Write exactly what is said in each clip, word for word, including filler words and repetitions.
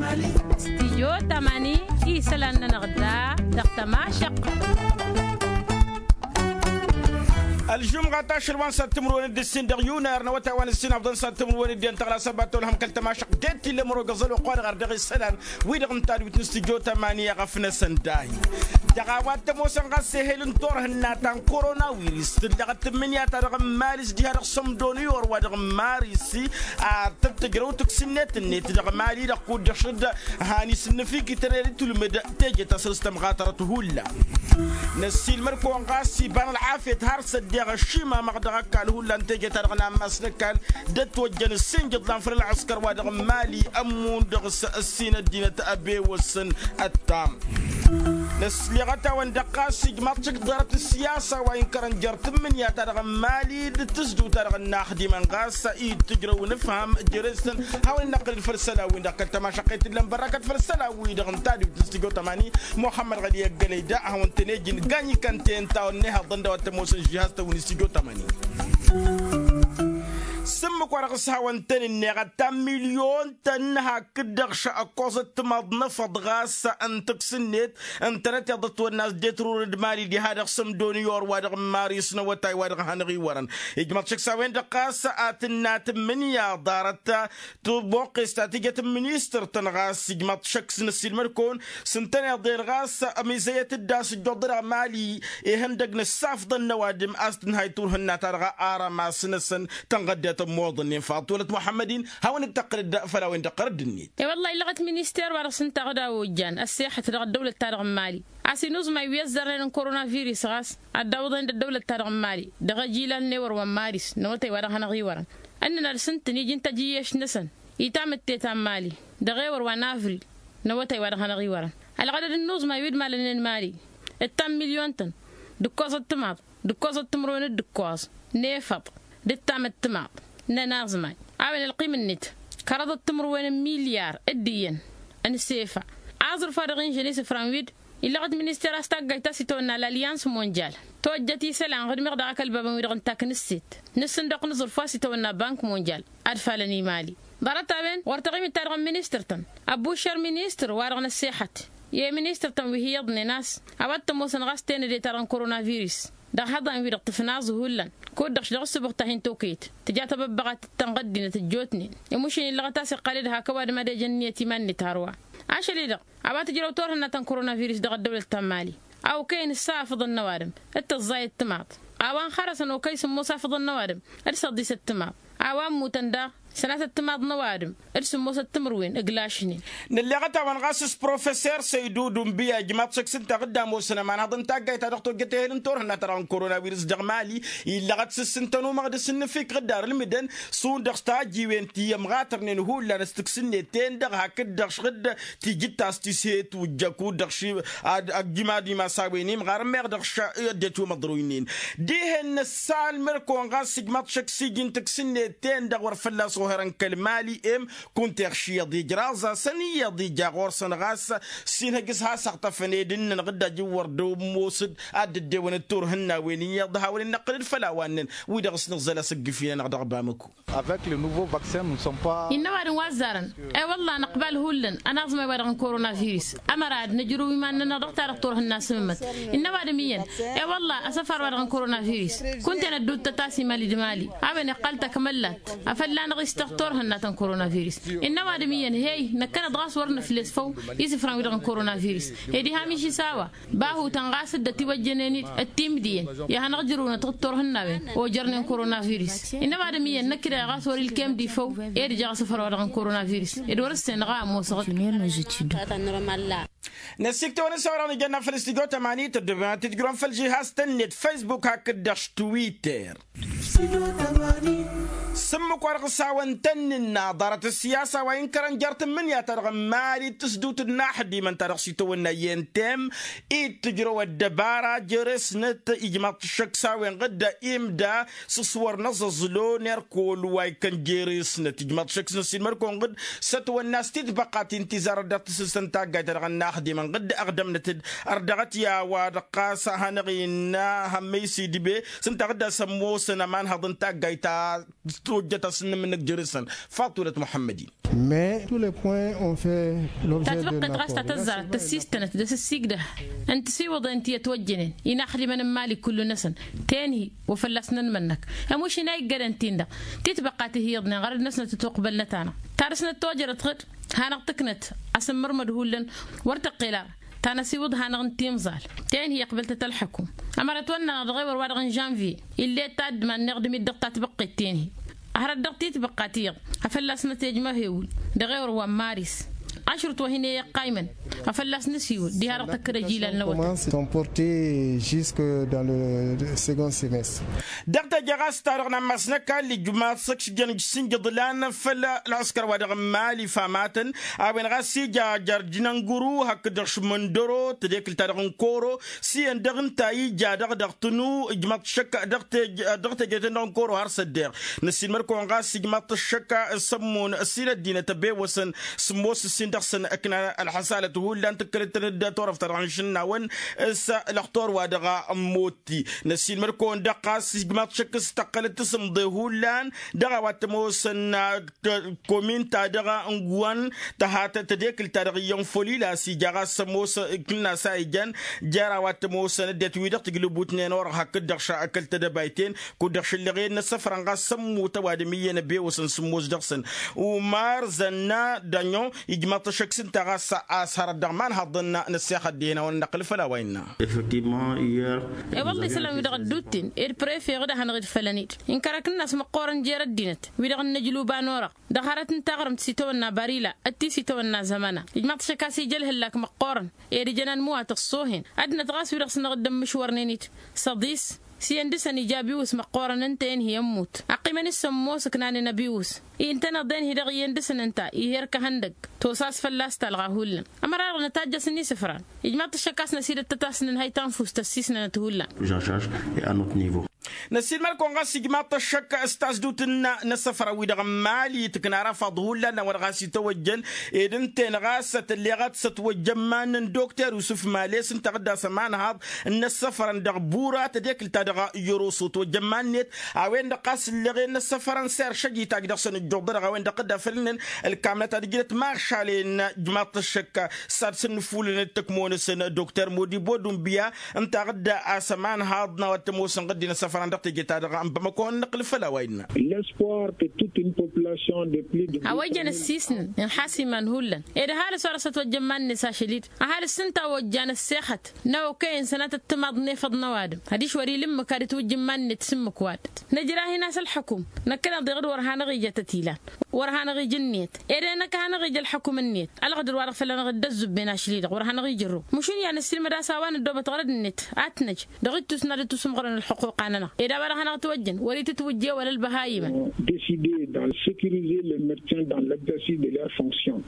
Stijyo tamani isălan-nănăɣ da dăɣ-tămašăq. Ălžumɣa ta ašăl wa n-sat timǝrwen d-ǝssin dăɣ-yunar n-awătay wa n-ǝssin afḍăn sat timǝrwen d-iyyăn tăɣla săbat tolhăm kăl-tămašăq d-e t-illa mărog ăẓăl wa qwar ɣar dăɣ-isălan wi-dăɣ n-tadwit n-stijyo tamani i-ăɣăf-năsăn dahi. Dăɣ-a-wa t-ămoosăn ɣas ehel n-turhǝnna ta n-koronawiris tǝllăɣăt tǝmmǝnǝya-ta-dăɣ n-mali s-diha dăɣ-sămdo n-iyor wa dăɣ-n maris a tăt-tǝjrăw tǝksǝnnet-net dăɣ-mali-dăɣ kud-dăɣ šădd. Han isǝnnǝf ikităn ed itulmǝd teje ta săr-s tămɣatărăt hullan. Năssiilmăd-kăwăn ɣas iba n-ălɣafyăt har s-ăddeɣ ăšimamăɣ dăɣ-ăkall hullan teje-ta-dăɣ n-ammas n-ăkall d-ătwăjjăn ǝssin jǝḍlan făll-ălɣǝskăr wa dăɣ-n mali ămmun dăɣ-s ăssin ăddinăt ăbewăsăn. Ăttam năsleɣăt-awăn-dăɣ ɣas ijmaḍ-t šik ḍarăt ǝssiyasa wa inkărăn jer-tǝmmǝnǝya-ta-dăɣ n-mali d-tǝzduwt-ta-dăɣ n-inaxdimăn ɣas i-dd-tǝjrăw n-ǝfham jere-săn. Hawăn-in-năqqǝlăd făll-isălan-win-dăɣ kăl-tămašăqqet t-illăn bărrakăt făll-isălan-wi-dăɣ n-tadwit n-stujo tămani muxămmăd ɣăli ăggălăy da ad-hawăn-tăn-ejǝn gañ ikăn-ten-ta wănnehăḍăn d-a-wa t-ămoosăn žihaz-tăn wi n-stujo tămani. S-ǝmmǝk wa dăɣ-s hawăn-tăn-ǝnneɣ ăttan milyon-tăn hakd-dăɣ šăkkoẓăt timaḍ n-efăḍ ɣas n-tǝks-net ǝntănăteḍ ătwănna a-s dd-etrurăn d-mali diha dăɣ-sămdo n-iyor wa dăɣ-n maris n-awătay wa dăɣ-hanăɣ-iwărăn. Ijmăḍ šăkk s-a-wen-dăɣ ɣas ad-tǝnna tǝmmǝnǝya ḍarăt tăboqqes ta tǝjăt n-ministăr-tăn ɣas ijmăḍ šăkk s-năssiilmăd-kăwăn s-ǝntăneḍ-en ɣas ămizăyăt-dd a-s ǝjjuḍ-dăɣ mali ihăndăg n-ǝssafḍăn n-ăwadǝm a-s tǝnhay turhǝnna-ta-dăɣ arămas-năsăn. Tănɣăddetăn moḍăn-nen faḍ tolăt muḥămmăd-in hawăn-dd-tăqqǝlăd făll-a-wen-dăɣ ɣărădd-net. E-wălla-hi illăɣăt minister wa dăɣ-s ǝnta ɣǝd a ojjan ăssexăt dăɣ-ăddăwlăt-ta-dăɣ n-mali a-s inuzmay wi ăzzărnen n-koronavirus ɣas ad-dd-awǝḍen d-ăddăwlăt-ta-dăɣ n-mali dăɣ-ejilal n-ewăr wa n-maris n-awătay wa dăɣ-hanăɣ-iwărăn. Ǝnnăn ad-sǝntǝn iji n-tăjjǝyyeš-năsăn i-tamǝtte ta n-mali dăɣ-ewăr wa n-avril n-awătay wa dăɣ-hanăɣ-iwărăn. Ălɣădăd n-inuzmay wi dd-malănnen mali ǝttan milyon-tăn d-ǝkkoẓăt timaḍ d-ǝkkoẓăt timǝrwen d-ǝkkoẓ n-efăḍ d-ǝttamăt timaḍ n-ănaẓmay a-wen ălqim-net kăraḍăt timǝrwen n-milyar d-iyyăn. N-sefa aẓrǝf wa dăɣ-inžăn isǝfran wi-dd illăɣăt minister a-s taggayt ta s-itawănna lalyans mondyal tojjăt isălan ɣǝdmeɣ daɣ akălbabăn wi-dăɣ n-taknǝsset n-ǝssǝndăɣ n-aẓrǝf wa s-itawănna bank mondyal. Ad-falăn i-mali ḍarăt-a-wen ɣur-taɣimit-ta-dăɣ n-ministăr-tăn ăbbušăr ministăr wa-dăɣ n-ăssexăt i-ministăr-tăn wi hi-iyyăḍnen a-s a-wa t-ămoosăn ɣas tenăde-ta-dăɣ n-koronavirus dăɣ-ihăḍan-wi-dăɣ tǝfnaẓ hullan kud-dăɣ š-dăɣ-ǝssǝbuɣ tahin-tokăyăt tǝja tabăbbăɣat d-tănɣăddinăt ăjjootnen. Imušin illăɣăt a-s iqqal-dd hak ăwadǝm ad-ejăn ǝnniyăt iman-net hărwa. Ašăl-i-dăɣ a-wa tǝjrăw turhǝnna ta n-koronavirus dăɣ-ăddăwlăt ta n-mali a okăyăn ǝssa afǝḍăn n-ăwadǝm d-tăẓẓayăt timaḍ a-wa n-xărăsăn okăy sǝmmos afǝḍăn n-ăwadǝm d-săḍisăt timaḍ a-wa ămmutăn daɣ sănatăt timaḍ n-ăwadǝm d-sǝmmosăt timǝrwen ǝglašnen. Nǝlleɣăt-awăn ɣas s-professor săydudu n-biyaj maḍ šăkk s-ǝnta ɣǝdda ămoosăn ămanhăḍ n-taggayt ta dăɣ-tojjăt ehel n-turhǝnna ta dăɣ-n koronavirus dăɣ-mali illăɣăt s-ǝssǝntăn umăɣ d-asǝnnǝfik ɣǝdda ar ǝlmǝdăn šund-dăɣ s-tajjiwen ti ămɣatărnen hullan s-tǝks-net-ten-dăɣ hakd-dăɣ š-ɣǝdda tijǝttas ti s-he-tujjăk kud-dăɣ ši ad-ăjjǝm ad-imas a-wen imɣar ămmeɣ dăɣ-š ăddinăt wi măḍroynen. Dihen năssalmăr-kăwăn ɣas ǝjmaḍ šăkk s-iji n-tǝks-net-ten-dăɣ wăr fălla-s oherăn kăl-mali em kunta iɣš iyyăḍ ijraẓ-asăn iyyăḍ ija ɣur-săn ɣas s-inhăj s-has-ăɣtăfăn ed ǝnnăn ɣǝdda jǝwwăr d-ămoosăd ad-dd-ăddewăn d-turhǝnnawen iyyăḍ a hawăn-in-năqqǝlăd făll-a-wa ǝnnăn wi-dăɣ s-nǝẓẓăl asǝggǝf-i-nănăɣ dăɣ-bamăko. Innă ăwadǝm wa ăzzarăn i-wălla năqbal hullan ănaẓmay-wa-dăɣ n-koronavirus ămăra ad-nǝjrǝw iman-nănăɣ dăɣ-ta-dăɣ turhǝnna s-amǝmmăt. Innă ăwadǝm iyyăn i-wălla asăfar-wa-dăɣ n-koronavirus kunta-en ădduuttăt a-s imali d-imali a-wen iqqal takmăllat afăl lanăɣ-istăɣ turhǝnna ta n-koronavirus. Innă ăwadǝm iyyăn hey năkkăneḍ ɣas wăr nǝfles făw isǝfran-wi-dăɣ n-koronavirus ed ihamiš-i s-a-wa bahutăn ɣas dd-ătiwăjjănen-dd timǝdǝyăn i-ad-hanăɣ-jărǝwnăt d-turhǝnnawen ojărnen koronavirus. Innă ăwadǝm iyyăn năkk-dăɣ ɣas wăr-ilkem d-ifăw ed ija asǝfăr-wa-dăɣ n-koronavirus ed wăr-ǝssen dăɣ-a ămoosăɣ-dd. Năsiktăwăn-in s-a-wa-dăɣ nǝjănna făll-studyo tămani tăddobem ad-tǝjrǝwăn făll-žihaz-tăn-net facebook hakd-dăɣ s-twitter. S-ǝmmǝk wa dăɣ-s hawăn-tăn-nǝnna ḍarăt ăssiyasa wa inkărăn jer-tǝmmǝnǝya-ta-dăɣ n-mali d-tǝsdǝwt d-inaxdimăn ta dăɣ-s itawănna i-entem i d-tǝjrăw ăddăbara jere-snăt ijmaḍ-t ăššăk s-a-wen ɣǝdda imda s-ăṣwăr n-aẓăẓlo n-erkol wa ikkăn jere-snăt ijmaḍ-t ăššăk s-năssiilmăd-kăwăn ɣǝdd s-ătwănna s-titbăqqat intizarăt dăɣ-tǝssǝst n-taggayt-ta-dăɣ n-inaxdimăn ɣǝdd ăɣdămnăt-dd ărdăɣăt i-a-wa-dăɣ ɣas a hanăɣ-innă hămmăy s-idbe s-ǝnta ɣǝdda s-ămoosăn ămanhăḍ n-taggayt ta. tăt-ojjăt a-s n-inǝmmǝnnǝk jere-săn. Faḍt wălăt muḥămmăd-in. Mais tous les points ont fait l'objet d'un accord. Tatbăqqet ɣas ta tăzzarăt tăssistănăt d-asǝssigdăh n-tisiwǝḍen ti ătwăjjănen inaxdimăn n-imali kullu-năsăn tenhi wa fălla-s nănmănnăk. Ămušin a iggădăn-tin-dăɣ titbăqqa ti hi-iyyăḍnen ɣărăd-năsnăt ătuqbălnăt-anăɣ. Tarǝsnăt tojărăt ɣǝd hanăɣ-tǝknăt asǝmmărmăd hullan wăr tăqqel ara ta n-asiwǝḍ hanăɣ-n timẓal. Tenhi ăqbăl-tăt ălxăkum ămăra ătwănnanăɣ dăɣ-ewăr-wa-dăɣ n-žănvye ill'-e taddǝm anneɣ d-imidăɣ tatbăqqet tenhi. Hărăt dăɣ-titbăqqa ti-iyyăḍ a fălla-s nătejmăhewǝl dăɣ-ewăr wa n-maris. Ašrǝt wa hin-e-iqqaymăn a fălla-s nǝsiwǝl diha-dăɣ tăkkăd ăjilal n-awătăt. Sont portés jusque dans le second semestre. Dăɣ-teje ɣas ta-dăɣ n-ammas n-ăkall ijmaḍ săkšjăn ǝjsǝnjǝḍ lan făll-ălɣǝskăr wa dăɣ-n mali famatăn a-wen ɣas ija jarjnănguru hakd-dăɣ šmăndăro tedekǝlt-ta-dăɣ n-koro s-iyyăn dăɣ-ǝnta ija dăɣ-dăɣ tǝnu ijmaḍ šăkk dăɣ-teje dăɣ-teje-ten-dăɣ n-koro har s-ăddeɣ. Năssiinmăr-kăwăn ɣas ijmaḍ-t ăššăk s-ămmun ăssin ăddinăt ăbewăsăn sǝmmos ǝssin dăɣ-săn ǝknan ălxăsalăt hullan tǝkkălăt-tăn-dd turăft-ta-dăɣ n-išǝnnawăn s-ălăxtor wa dăɣ-ămmut. Ti năssiinmăr-kăwăn-dăɣ ɣas ijmaḍ šăkk s-tăqqălăt tasǝmḍe hullan dăɣ-a-wa t-ămoosăn komin-ta-dăɣ n-guwăn tăhat tedekǝlt-ta-dăɣ iyyăn folila s-ija ɣas ămoos ǝkna s-a ijăn jer-a-wa t-ămoosăn ăddinăt-wi-dăɣ tǝjlǝbutnen orăɣ hakd-dăɣ šăkk kăl-tedăbayten kud-dăɣ šǝllăɣen n-ăssăfrăn ɣas sămmutăn wa dăɣ-mi iyyăn ăbewăsăn sǝmmos dăɣ-săn. Umar zănna dănyo ijmaḍ-t ăššăk s-ǝnta ɣas a-s hărăt dăɣ-imanhaḍăn n-ăssexăt dihen a wăn-năqqǝl făll-a-wa innă. Effectivement hier. E-wălla isălan-wi-dăɣ ădduutten ed prefe ɣǝd a hanăɣ-dd-fălăn-dd inkărăk ǝnnas măqqoorăn jer-ăddinăt wi-dăɣ n-inǝjlub a n-orăɣ dăɣ-hărăt n-taɣrǝmt s-itawănna barila d-ti s-itawănna zămăna. Ijmaḍ-t ăššăk a-s ija ălhǝllak măqqoorăn ed ǝjăn anmǝwatăɣ s-ohen ăddinăt ɣas wi-dăɣ s-năɣ dd-ămmǝšwărnen-dd s-ăḍis. S-iyyăn dăɣ-săn ija abiwǝs măqqoorăn ǝnta-en hi-ămmut ăqqiimăn s-ămoos ǝknanen abiwǝs. Intăneḍ-en hi-dăɣ iyyăn dăɣ-săn ǝnta ih'-e ărkăhăn dăgg tosa a-s fălla-s talɣa hullan. Ămăra-dăɣ nătajjăs n-isǝfran ijmaḍ-t ăššăk a-s năsidăt tăt-asǝnnǝnhăy tanfust ăssiisnănăt hullan. Năssiinmăr-kăwăn ɣas ijmaḍ-t ăššăk s-tasdut n-inăssăfrăn-wi-dăɣ n-mali tǝkna ara faḍ hullan n-a-wa-dăɣ a-s itawăjjăn ed ǝnta-en ɣas tălleɣăt s-ătwăjja ămman n-dokter yusǝf males ǝnta ɣǝdda s-ămanhaḍ n-inăssăfrăn dăɣ-bura tedekǝlt-ta-dăɣ. Yăroso ătwăjja ămman-net a-wen-dăɣ ɣas ǝlleɣen n-inăssăfrăn s-eršăj itajj dăɣ-săn ǝjjuḍ-dăɣ a-wen-dăɣ dd-afălnen ǝlkamnăt ad-ǝjnăt maɣšalen. Ijmaḍ-t ăššăk s-ad-săn-nǝfulǝnăt tăkmo-năsăn dokter modi bodumbiya ǝnta ɣǝdda a-s ămanhaḍ n-a-wa t-ămoosăn ɣǝddi n-asăfran dăɣ-teje-ta-dăɣ ănbămăko n-năqqǝl făll-a-wa innă. L'espoir que toute une population de plus de a-wa ijăn ăssiisnăn ǝnḥas iman hullan ed ăhalǝs wa dăɣ-s ătwăjja ămman-net ašăl-dd ăhalǝs s-ǝnta a ojjan ăssexăt n-a okăyăn sănatăt timaḍ n-efăḍ n-ăwadǝm adiš wăr-ila ǝmmǝk ad-ǝtwǝjj ǝmman-net s-ǝmmǝk wa dăɣ-t năjrah-in a-s ălxăkum. Năkkăneḍ-i ɣǝd wăr hanăɣ-ija tăt-ilan wăr hanăɣ-ija ǝnniyăt ed enăk a hanăɣ-ija ălxăkum ǝnniyăt. Ălɣădăr wa dăɣ-făll-anăɣ dd-ăzzubben ašli-dăɣ wăr hanăɣ-ija ărro. Măšun i-ad-năssiilmăd a-s a-wa năddoobăt ɣărăd-net ad-t-năj dăɣ-ittus n-ad-dd-tusǝmɣărăn ălxuquqa-nănăɣ ed a-wa dăɣ-hanăɣ-ătwăjjăn wăr-itǝtwǝjje wăla ălbăhayimăn. Décider dans sécuriser les médecins dans l'exercice de leurs fonctions.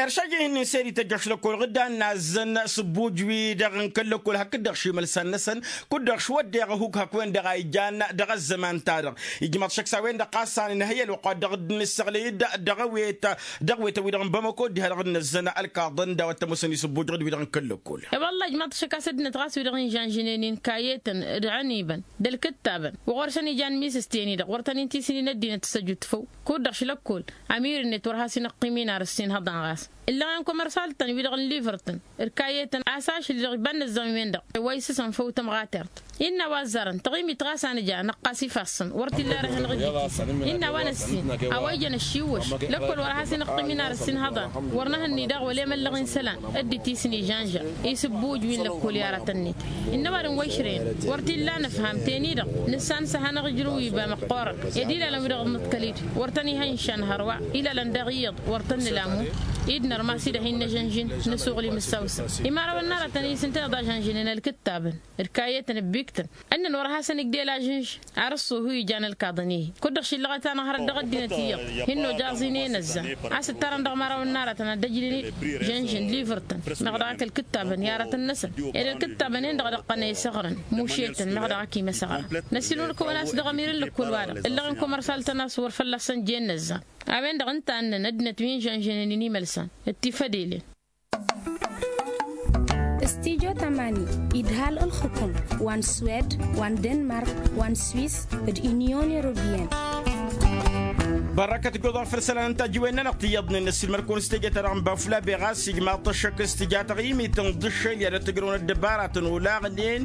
Eršăj-i-hin-in s-ed ităjj ašlăkkol ɣǝddan nazzăn s-ǝbbuj-wi-dăɣ n-kăl-lăkkol hakd-dăɣ šimălsan-năsăn kud-dăɣ šwăddeɣ ăhuk hak-wen-dăɣ a ijan dăɣ-ăzzăman-ta-dăɣ. Ijmăḍ šăkk s-a-wen-dăɣ ɣas a nǝnhăy ălwăqq wa dăɣ-dd-nǝssăɣlăy-dd dăɣ-awet dăɣ-awet-wi-dăɣ n-bamăko dd-ha-dăɣ dd-năzzăn ălkaḍăn d-a-wa t-ămoosăn isǝbbuj ɣǝd-wi-dăɣ n-kăl-lăkkol. E-wălla ijmăḍ šăkk a-s ăddinăt ɣas wi-dăɣ n-žănžǝnen inkayetăn d-ănibăn d-ălkǝttabăn wa ɣur-săn ijan misǝsten-i-dăɣ wăr tăn-in-tisǝnin ăddinăt s-ăjut făw. Kud-dăɣ šlăkkol ămir-net wăr has-inăqqim inar ǝssin hăḍan ɣas ǝllăɣen komărsal-tăn wi-dăɣ n-livăr-tăn d-kayetăn a-s ašăl-i-dăɣ iba n-inǝzzam-wen-dăɣ wa isǝsăn făw tămɣatert. Innă a-wa ăzzarăn taɣimit ɣas a nǝja năqqas ifassăn wăr t-illa ara hanăɣ-ija-t-isăn innă a-wa năssin a-wa ijăn ăššiwwăš. Lăkkol wăr has-inăqqim inar ǝssin hăḍan wăr nǝhǝnni daɣ wăla emăllăɣ-in isălan dd-itisǝn ižănža isǝbbuj wi n-lăkkol i-aratăn-net. Innă ăwadǝm wa išrăyăn wăr t-illa nǝfham ten-i-dăɣ nǝssan s-ad-hanăɣ-ijrǝw iba măqqoorăn ed ilalăn wi dăɣ-nǝḍkăl-dd wăr tăn-ihăy n-išan hărwa. Ilalăn daɣ iyyăḍ wăr tăn-nǝlamu. Dd-nărmas-i-dăɣ hin-năžănžin nǝsuɣǝl imǝssawsăn imărawăn n-aratăn-i s-ǝnta iyyăḍ a žănžǝnen ălkǝttabăn d-kayetăn ǝbbikǝtăn. Ǝnnăn wăr hasăn-ǝgdel ažǝnž ar ǝṣṣuhu ijan ălkaḍăn-i-hi. Kud-dăɣ šillăɣăt-anăɣ hărăt dăɣ-ăddinăt iyyăḍ hin-nojăẓ-in i-inăzzan a-s ǝttarăn dăɣ-imărawăn n-aratăn ad-ăjlǝn-dd žănžǝn d-livǝrtăn meɣ dăɣ-ak ălkǝttabăn i-aratăn-năsăn ed ălkǝttabăn-en-dăɣ dăɣ-tăn-e-săɣrăn mušetăn meɣ dăɣ-ak imăsăɣra. Năsiilmăd-kăwăn a-s dăɣ-ămir n-lăkkol-wa-dăɣ ǝllăɣen komărsal-tăn a-s wăr fălla-săn jen inăzzan. A-wen-dăɣ ǝnta a ǝnnăn ăddinăt wi n-žănžănen inimălsan d-tifădelen. Studyo tamani idhal ǝlxǝkum wa n-swed wa n-denmark wa n-swis d-unyon europeyăn. Bărrăkăt goḍa făll-isălan n-tajǝwen-nănăɣ tiyyăḍnen n-ăssiilmăd-kăwăn s-teje-ta-dăɣ n-bafula beɣ a-s ijmaḍ-t ăššăk s-tǝja taɣimit n-dd-ǝššăl i-ad-ăttăjrăwăn ăddăbaratăn olaɣnen.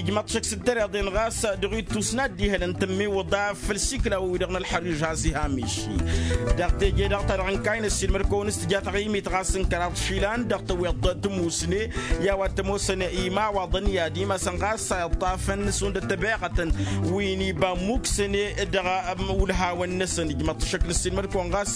Ijmaḍ-t ăššăk s-dd-tăreḍen ɣas dăɣ-ittus n-ad-dd-ihălăn tămmiwǝḍa făll-isikla-wi-dăɣ n-ălxăriž has-iha miši. Dăɣ-teje-dăɣ-ta-dăɣ n-kayy n-ăssiilmăd-kăwăn s-tǝja taɣimit ɣas n-kăraḍ išilan dăɣ-tăwweḍt tămusne i-a-wa t-ămoosăn imawaḍăn i-ad-imasăn ɣas a iṭṭafăn s-hundăt tăbeɣătăn wi n-iba ămmuksăne dăɣ-ulhawăn-năsăn. Ijmăḍ-t ăššăk n-ăssiilmăd-kăwăn ɣas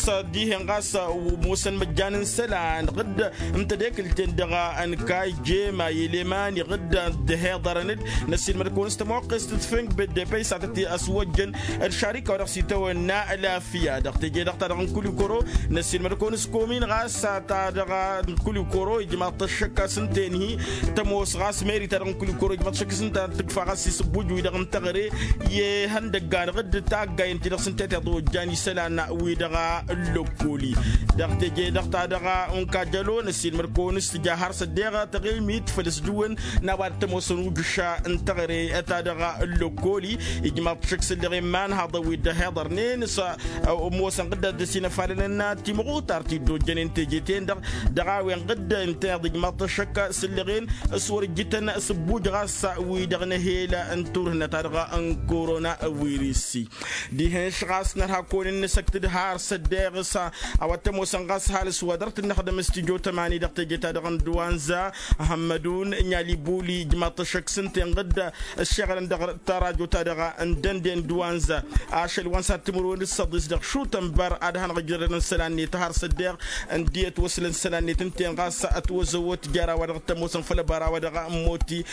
s-dihen ɣas ămoosăn măjjan n-isălan ɣǝdd n-tedekǝlt-en dăɣ-ănkayy jema i-eleman iɣǝdd dd-hiḍărăn-dd. Năssiilmăd-kăwăn s-tămoqqest d-făngb d-epăy s-ad-tăt-ăswăjjăn d-šarika wa dăɣ-s itawănna ălafya dăɣ-teje-dăɣ-ta-dăɣ n-kulikoro. Năssiilmăd-kăwăn s-komin ɣas ta-dăɣ n-kulikoro ijmaḍ-t ăššăk a-s ǝnta enhi tămoos ɣas meri ta-dăɣ n-kulikoro ijmaḍ-t ăššăk s-ǝnta tǝkfa ɣas isǝbbuj-wi-dăɣ n-teɣăre i-ihăndăggan ɣǝdd taggayen-ti-dăɣ s-ǝnta i-tiḍa ojjan isălan-wi-dăɣ ǝllăkkoli. Dăɣ-teje-dăɣ ta-dăɣ unkajălo năssiilmăd-kăwăn s-tǝja har s-ăddeɣ tăɣimit făll-ăsdǝwăn n-a-wa dd-tămoosăn ujǝša n-teɣăre ta-dăɣ ǝllăkkoli. Ijmaḍ-t ăššăk s-ǝlleɣ i-imanhaḍăn wi dd-ăhiḍărnen s-ămoosăn ɣǝdda dd-ăsinăfalălăn timɣutar ti dd-ojjănen teje-ten-dăɣ dăɣ-a-wen ɣǝdda ǝnta iḍ ijmaḍ-t ăššăk s-ǝlleɣen s-wăr-ǝjjǝtăn s-ǝbbuj ɣas wi-dăɣ n-ehel n-turhǝnna ta-dăɣ n-korona wirisi. Dihen-š ɣas nărha kăwăn-in-nǝsăkt d-har s-ăddeɣ s-a-wa t-ămoosăn ɣas ăhalǝs wa dăr-t dd-năxdăm s-tijo tămani dăɣ-teje-ta-dăɣ n-duwanza. Hămmădun n-alibuli ijmaḍ-t ăššăk s-ǝnta inɣǝd ǝššeɣălăn dăɣ-tarajo-ta-dăɣ n-dănde n-duwanza. Ašăl wa n-sad-timǝrwen d-săḍis dăɣ-šutănbăr ad-hanăɣ-ǝjrădăn isălan-net har s-ăddeɣ ǝndiyăt wăslăn isălan-net ǝnta-en ɣas ătwăzăwăt jer-a-wa dăɣ-t-ămoosăn făll-ăbara wa dăɣ-ămmoti.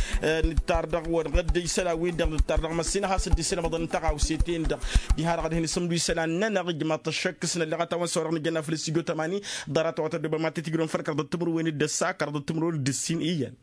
Nǝttar dăɣ-wăr ɣǝdd isălan-win-dăɣ nǝttar dăɣ-măssin a has-dd-isǝnmăḍăn n-tăɣawse-ten-dăɣ. Diha-dăɣ ad-hin-isǝmdu isălan-nănăɣ ijmaḍ-t ăššăk s-nălleɣ a tawăn s-wa-dăɣ nǝjănna făll-s tijo tămani. Ḍarăt-a-wa tăddobăm ad-t-tǝjrǝwăn făll-kăraḍăt timǝrwen d-ăssa kăraḍăt timǝrwen d-ǝssin iyyăn.